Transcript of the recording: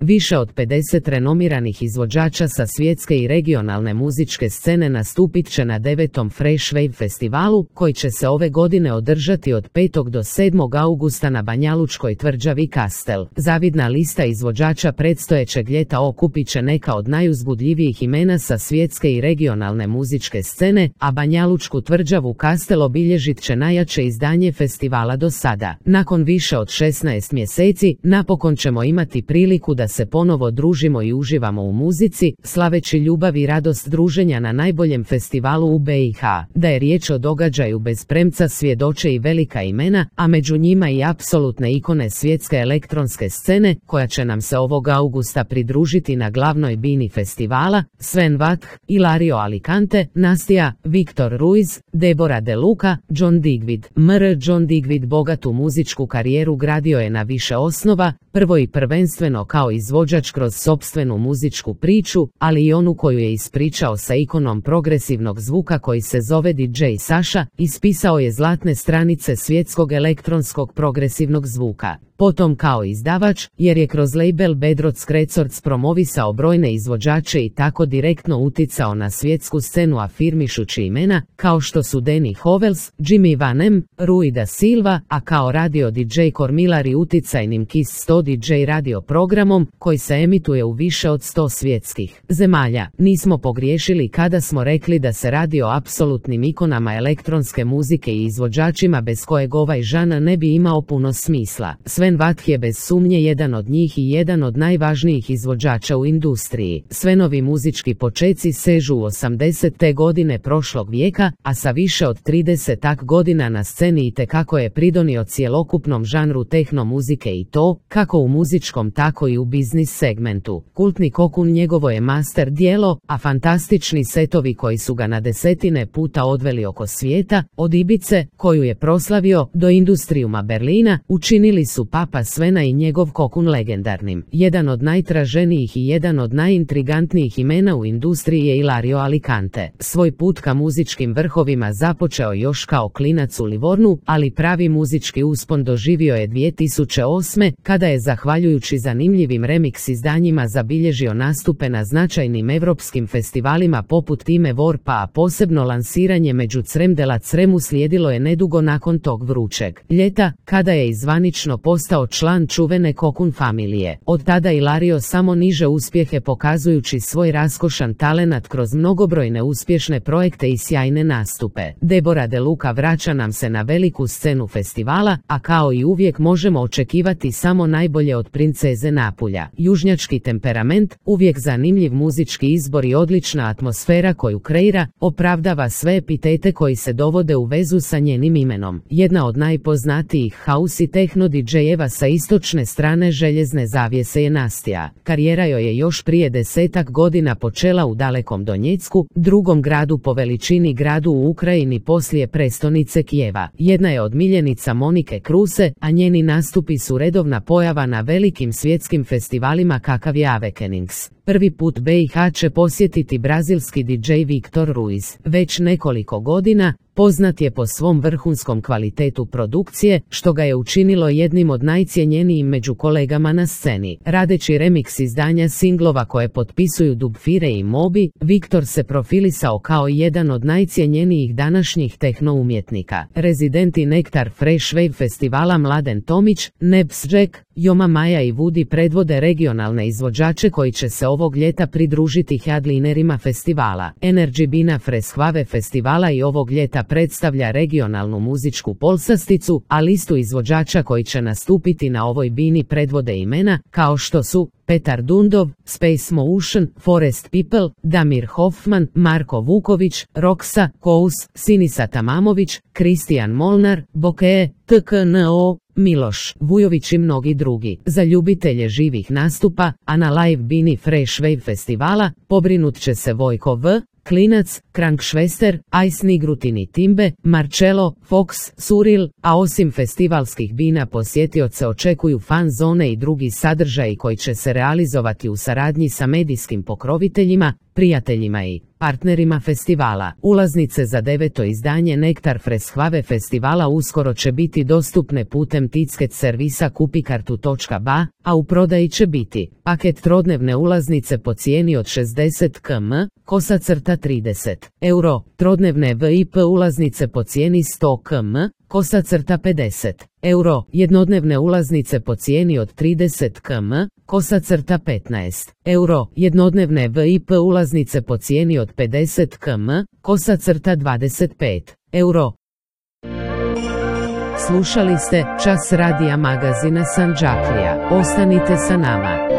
Više od 50 renomiranih izvođača sa svjetske i regionalne muzičke scene nastupit će na 9. Fresh Wave festivalu, koji će se ove godine održati od 5. do 7. augusta na banjalučkoj tvrđavi Kastel. Zavidna lista izvođača predstojećeg ljeta okupit će neka od najuzbudljivijih imena sa svjetske i regionalne muzičke scene, a banjalučku tvrđavu Kastel obilježit će najjače izdanje festivala do sada. Nakon više od 16 mjeseci, napokon ćemo imati priliku da se ponovo družimo i uživamo u muzici, slaveći ljubav i radost druženja na najboljem festivalu u BiH. Da je riječ o događaju bez premca svjedoče i velika imena, a među njima i apsolutne ikone svjetske elektronske scene, koja će nam se ovog augusta pridružiti na glavnoj bini festivala: Sven Vath, Ilario Alicante, Nastja, Viktor Ruiz, Deborah De Luca, John Digweed. John Digweed bogatu muzičku karijeru gradio je na više osnova, prvo i prvenstveno kao izvođač kroz sopstvenu muzičku priču, ali i onu koju je ispričao sa ikonom progresivnog zvuka koji se zove DJ Sasha, ispisao je zlatne stranice svjetskog elektronskog progresivnog zvuka. Potom kao izdavač, jer je kroz label Bad Roads Records promovisao brojne izvođače i tako direktno uticao na svjetsku scenu afirmišući imena, kao što su Danny Hovels, Jimmy Van M, Rui da Silva, a kao radio DJ kormilari uticajnim Kiss 100 DJ radio programom, koji se emituje u više od 100 svjetskih zemalja. Nismo pogriješili kada smo rekli da se radi o apsolutnim ikonama elektronske muzike i izvođačima bez kojeg ovaj žanr ne bi imao puno smisla. Sven Vath je bez sumnje jedan od njih i jedan od najvažnijih izvođača u industriji. Svenovi muzički počeci sežu u 80. godine prošlog vijeka, a sa više od 30 godina na sceni itekako je pridonio cjelokupnom žanru tehno muzike i to, kako u muzičkom tako i u biznis segmentu. Kultni Kokun njegovo je master djelo, a fantastični setovi koji su ga na desetine puta odveli oko svijeta, od Ibice, koju je proslavio, do Industrijuma Berlina, učinili su Papa Svena i njegov Kokun legendarnim. Jedan od najtraženijih i jedan od najintrigantnijih imena u industriji je Ilario Alicante. Svoj put ka muzičkim vrhovima započeo još kao klinac u Livornu, ali pravi muzički uspon doživio je 2008. kada je zahvaljujući zanimljivim remix izdanjima zabilježio nastupe na značajnim evropskim festivalima poput Time Warpa, a posebno lansiranje među Crem de la Cremu slijedilo je nedugo nakon tog vrućeg ljeta, kada je izvanično postao član čuvene Kokun familije. Od tada Ilario samo niže uspjehe pokazujući svoj raskošan talenat kroz mnogobrojne uspješne projekte i sjajne nastupe. Deborah De Luca vraća nam se na veliku scenu festivala, a kao i uvijek možemo očekivati samo najbolje od princeze Napulja. Južnjački temperament, uvijek zanimljiv muzički izbor i odlična atmosfera koju kreira, opravdava sve epitete koji se dovode u vezu sa njenim imenom. Jedna od najpoznatijih house i techno DJ-eva sa istočne strane željezne zavjese je Nastja. Karijera joj je još prije 10 godina počela u dalekom Donjecku, drugom gradu po veličini gradu u Ukrajini poslije prestonice Kijeva. Jedna je od miljenica Monike Kruse, a njeni nastupi su redovna pojava na velikim svjetskim festivalima kakav je Awakenings. Prvi put BiH će posjetiti brazilski DJ Viktor Ruiz. Već nekoliko godina poznat je po svom vrhunskom kvalitetu produkcije, što ga je učinilo jednim od najcjenjenijim među kolegama na sceni. Radeći remix izdanja singlova koje potpisuju Dubfire i Moby, Viktor se profilisao kao jedan od najcjenjenijih današnjih tehno umjetnika. Rezidenti Nektar Fresh Wave festivala Mladen Tomić, Nebs Jack, Joma Maja i Woody predvode regionalne izvođače koji će se ovog ljeta pridružiti headlinerima festivala. Energy Bina Freshwave festivala i ovog ljeta predstavlja regionalnu muzičku polsasticu, a listu izvođača koji će nastupiti na ovoj bini predvode imena, kao što su Petar Dundov, Space Motion, Forest People, Damir Hoffman, Marko Vuković, Roksa, Kous, Sinisa Tamamović, Kristijan Molnar, Bokee, TKNO, Miloš Vujović i mnogi drugi. Za ljubitelje živih nastupa, a na live bini Fresh Wave festivala pobrinut će se Vojko V, Klinac, Krankšvester, Ice Nigrutini Timbe, Marcello, Fox, Suril, a osim festivalskih bina posjetioce očekuju fan zone i drugi sadržaji koji će se realizovati u saradnji sa medijskim pokroviteljima, prijateljima i partnerima festivala. Ulaznice za 9. izdanje Nektar Freshave festivala uskoro će biti dostupne putem ticket servisa kupikartu.ba, a u prodaji će biti paket trodnevne ulaznice po cijeni od 60 km, =30 euro, trodnevne VIP ulaznice po cijeni 100 km, =50 euro, jednodnevne ulaznice po cijeni od 30 km, =15 euro, jednodnevne VIP ulaznice po cijeni od 50 km, =25 euro. Slušali ste Čas radija magazina Sandžaklija. Ostanite sa nama.